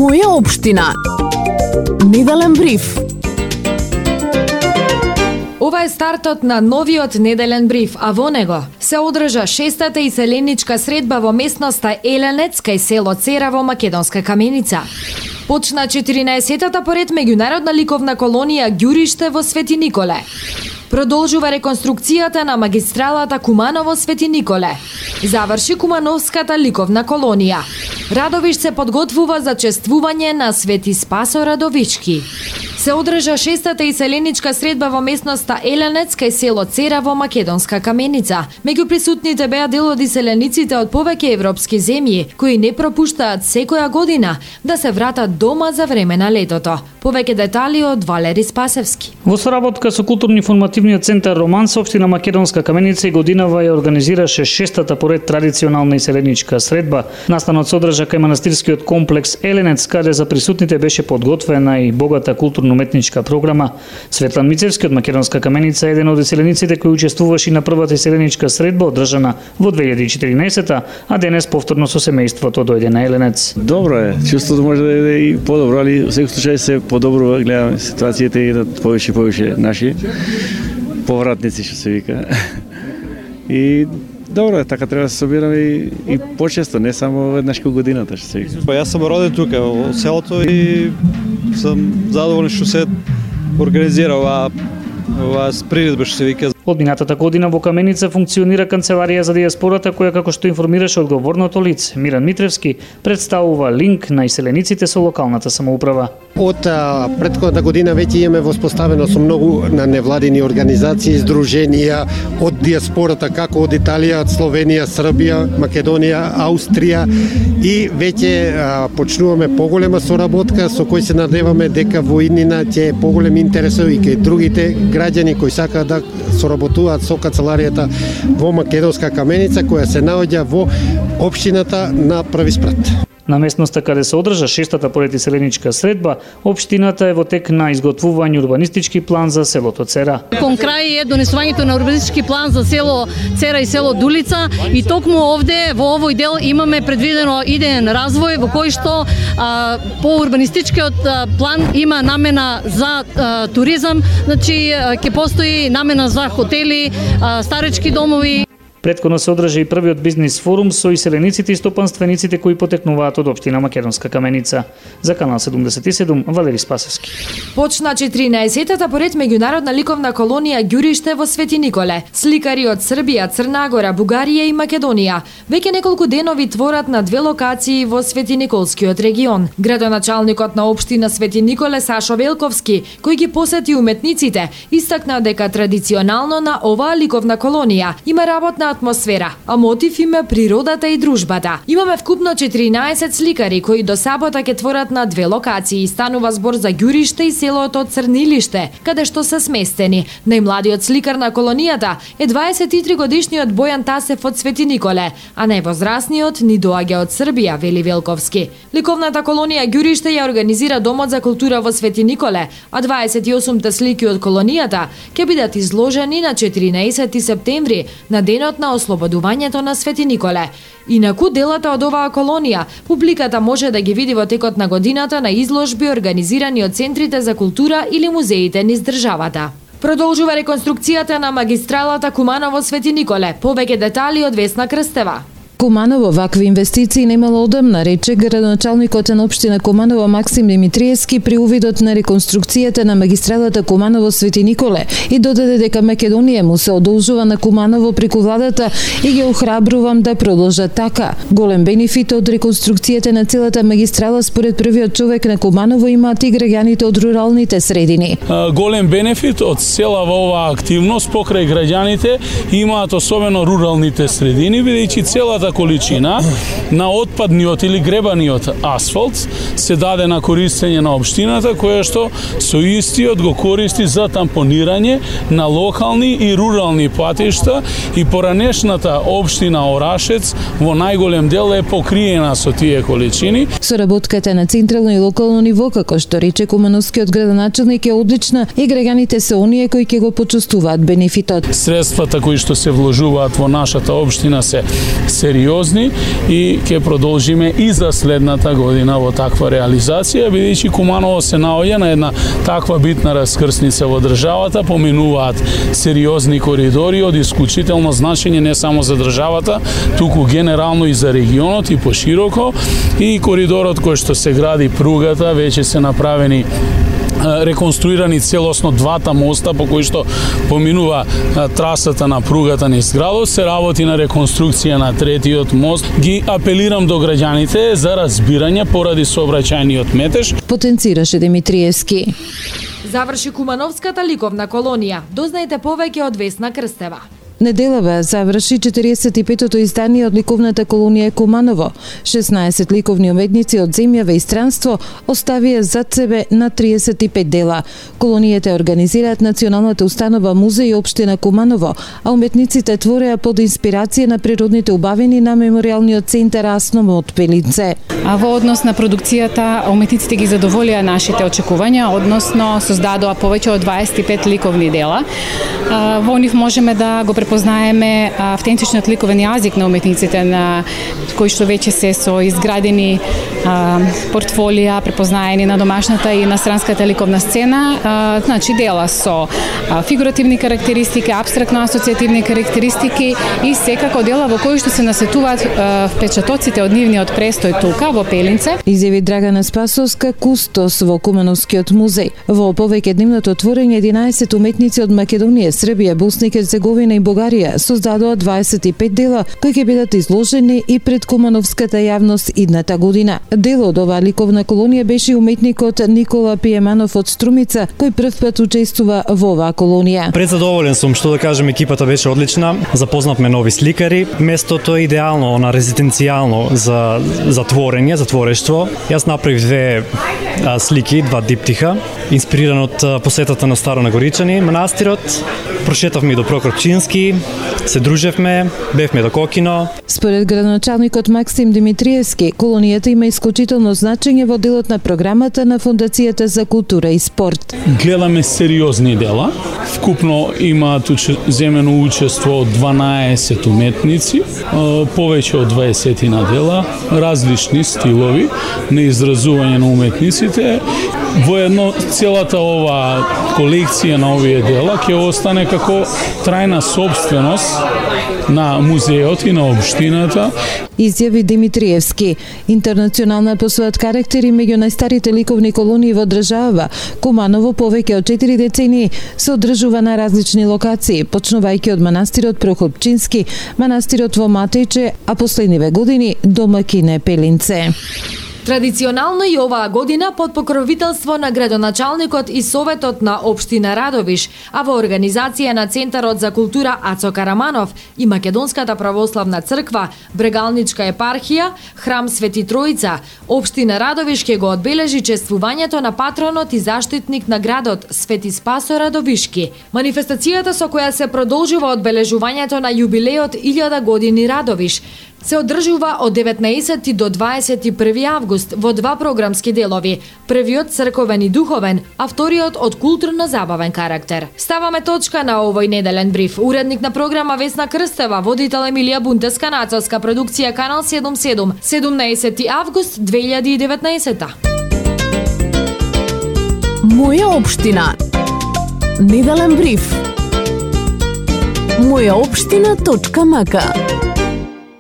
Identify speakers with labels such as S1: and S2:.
S1: Моја општина. Неделен бриф.
S2: Ова е стартот на новиот неделен бриф, а во него се одржа 6-та иселеничка средба во местноста Еленец кај село Цера во Македонска Каменица. Почна 14-та поред меѓународна ликовна колонија Ѓуриште во Свети Николе. Продолжува реконструкцијата на магистралата Куманово-Свети Николе. Заврши Кумановската ликовна колонија. Радовиш се подготвува за чествување на Свети Спасо Радовички. Се одржа 6-та иселеничка средба во местноста Еленец кај село Цера во Македонска Каменица. Меѓу присутните беа дел од иселениците од повеќе европски земји, кои не пропуштаат секоја година да се вратат дома за време на летото. Повеќе детали од Валери Спасевски.
S3: Во соработка со културно-информативниот центар Романс, општина Македонска Каменица и годинава ја организираше 6-та поред традиционална иселеничка средба. Настанот се одржа кај манастирскиот комплекс Еленец, каде за присутните беше подготвена и богата културно-уметничка програма. Светлан Мицевски од Македонска Каменица е еден од иселениците кои учествуваше на првата иселеничка средба одржана во 2014, а денес повторно со семејството дојде на Еленец.
S4: Добро е, чувството може да е и подобро, али во секој случај се подобро гледаме ситуацијата и да повеќе наши повратници, што се вика. И добро е, така треба да се собираме и почесто, не само веднаш кога годината, што се вика.
S5: Јас сум роден тука во селото и сум задоволен што се организира ова приредба, што се вика.
S3: Од минатата година во Каменица функционира канцеларија за дијаспората која, како што информираше одговорното лице Миран Митревски, представува линк на иселениците со локалната самоуправа.
S6: Од претходната година веќе имаме воспоставено со многу на невладини организации, здруженија од дијаспората, како од Италија, од Словенија, Србија, Македонија, Аустрија и веќе почнуваме поголема соработка со кој се надеваме дека во иднина ќе поголем интерес и кај другите граѓани кои сакаат да соработуваат со канцеларијата во Македонска Каменица, која се наоѓа во општината на Први спрат.
S3: На местноста каде се одржа 6-та поред иселеничка средба, општината е во тек на изготвување урбанистички план за селото Цера.
S7: Кон крај е донесувањето на урбанистички план за село Цера и село Дулица и токму овде во овој дел имаме предвидено идеен развој во кој што по урбанистичкиот план има намена за туризам, значи ќе постои намена за хотели, старечки домови.
S3: Претходно се одржа и првиот бизнис форум со иселениците и стопанствениците кои потекнуваат од општина Македонска Каменица. За Канал 77, Валери Спасевски.
S2: Почна 14-та поред меѓународна ликовна колонија Ѓуриште во Свети Николе. Сликари од Србија, Црна Гора, Бугарија и Македонија веќе неколку денови творат на две локации во Свети Николскиот регион. Градоначалникот на општина Свети Николе Сашо Велковски, кој ги посети уметниците, истакна дека традиционално на оваа ликовна колонија има работна атмосфера, а мотив им е природата и дружбата. Имаме вкупно 14 сликари кои до сабота ќе творат на две локации. Станува збор за Ѓуриште и селото Црнилиште, каде што се сместени. Најмладиот сликар на колонијата е 23 годишниот Бојан Тасев од Свети Николе, а највозрасниот ни доаѓа од Србија, вели Велковски. Ликовната колонија Ѓуриште ја организира Домот за култура во Свети Николе, а 28 слики од колонијата ќе бидат изложени на 14 септември, на денот на ослободувањето на Свети Николе. Инаку делата од оваа колонија, публиката може да ги види во текот на годината на изложби организирани од центрите за култура или музеите низ државата. Продолжува реконструкцијата на магистралата Куманово-Свети Николе. Повеќе детали од Весна Крстева.
S8: Куманово вакви инвестиции немало одамна, рече градоначалникот на општина Куманово Максим Димитриевски при увидот на реконструкцијата на магистралата Куманово-Свети Николе и додаде дека Македонија му се одолжува на Куманово преку владата и ги охрабрувам да продолжат така. Голем бенефит од реконструкцијата на целата магистрала според првиот човек на Куманово имаат и граѓаните од руралните средини.
S9: Голем бенефит од целава оваа активност покрај граѓаните имаат особено руралните средини, бидејќи целата количина на отпадниот или гребаниот асфалт се даде на користење на општината, која што со истиот го користи за тампонирање на локални и рурални патишта и поранешната општина Орашец во најголем дел е покриена со тие количини.
S8: Соработката на централно и локално ниво, како што рече кумановскиот градоначалник, е одлична и граѓаните се оние кои ќе го почувствуваат бенефитот.
S9: Средствата кои што се вложуваат во нашата општина се сериозни и ќе продолжиме и за следната година во таква реализација, бидејќи Куманово се наоѓа на една таква битна раскрсница во државата, поминуваат сериозни коридори од исклучително значење не само за државата, туку генерално и за регионот и пошироко, и коридорот кој што се гради, пругата, веќе се направени реконструирани целосно двата моста по кои што поминува трасата на пругата низ градот, се работи на реконструкција на третиот мост. Ги апелирам до граѓаните за разбирање поради сообраќајниот метеж.
S8: Потенцираше Димитриевски.
S2: Заврши Кумановската ликовна колонија. Дознаете повеќе од Весна Крстева.
S8: Неделава заврши 45-тото издание од ликовната колонија Куманово. 16 ликовни уметници од земјава и странство оставија зад себе на 35 дела. Колонијата организираат националната установа музеј општина Куманово, а уметниците твореа под инспирација на природните убавини на мемориалниот центар Асном од Пелинце.
S10: А во однос на продукцијата, уметниците ги задоволија нашите очекувања, односно создадоа повеќе од 25 ликовни дела. Во нив можеме да го препознаеме автентичниот ликовен јазик на уметниците, на кои што веќе се со изградени портфолија, препознаени на домашната и на странската ликовна сцена. Значи дела со фигуративни карактеристики, апстрактно асоцијативни карактеристики и секако дела во кои што се насетуваат впечатоците од нивниот престој тука во Пелинце.
S8: Изјави Драгана Спасовска, кустос во Кумановскиот музеј. Во повеќедневното творење 11 уметници од Македонија, Србија, Босна и Херцеговина и Бугарија создадоа 25 дела кои ќе бидат изложени и пред кумановската јавност идната година. Дел од оваа ликовна колонија беше уметникот Никола Пиеманов од Струмица, кој прв пат учествува во оваа колонија.
S11: Презадоволен сум, што да кажем, екипата беше одлична. Запознавме нови сликари. Местото е идеално, на резиденцијално за творење, за творештво. Јас направив две слики, два диптиха, инспириран од посетата на Старо Нагоричани, манастирот. Прошетавме до Прокопчински, се дружевме, бевме до Кокино.
S8: Според градоначалникот Максим Димитриевски, колонијата има исклучително значење во делот на програмата на Фондацијата за култура и спорт.
S9: Гледаме сериозни дела. Вкупно имаат земено учество од 12 уметници, повеќе од 20 на дела, различни стилови на изразување на уметниците. Воедно целата ова колекција на овие дела ќе остане како трајна собственост на музеот и на општината.
S8: Изјави Димитриевски. Интернационална по својот карактер и меѓу најстарите ликовни колонии во држава, Куманово повеќе од 4 децении се одржува на различни локации, почнувајќи од манастирот Прокопчински, манастирот во Матејче, а последниве години домакин е Пелинце.
S2: Традиционално и оваа година под покровителство на градоначалникот и Советот на општина Радовиш, а во организација на Центарот за култура Ацо Караманов и Македонската православна црква, Брегалничка епархија, Храм Свети Тројца, општина Радовиш ќе го одбележи чествувањето на патронот и заштитник на градот Свети Спасо Радовишки. Манифестацијата со која се продолжува одбележувањето на јубилеот 1000 години Радовиш се одржува од 19 до 21 август во два програмски делови. Првиот црковен и духовен, а вториот од културно-забавен карактер. Ставаме точка на овој неделен бриф. Уредник на програма Весна Крстева, водител Емилија Бунтеска, нацелска продукција Канал 77, 17 август 2019.
S1: Моја општина. Неделен бриф. Мојаопштина.мк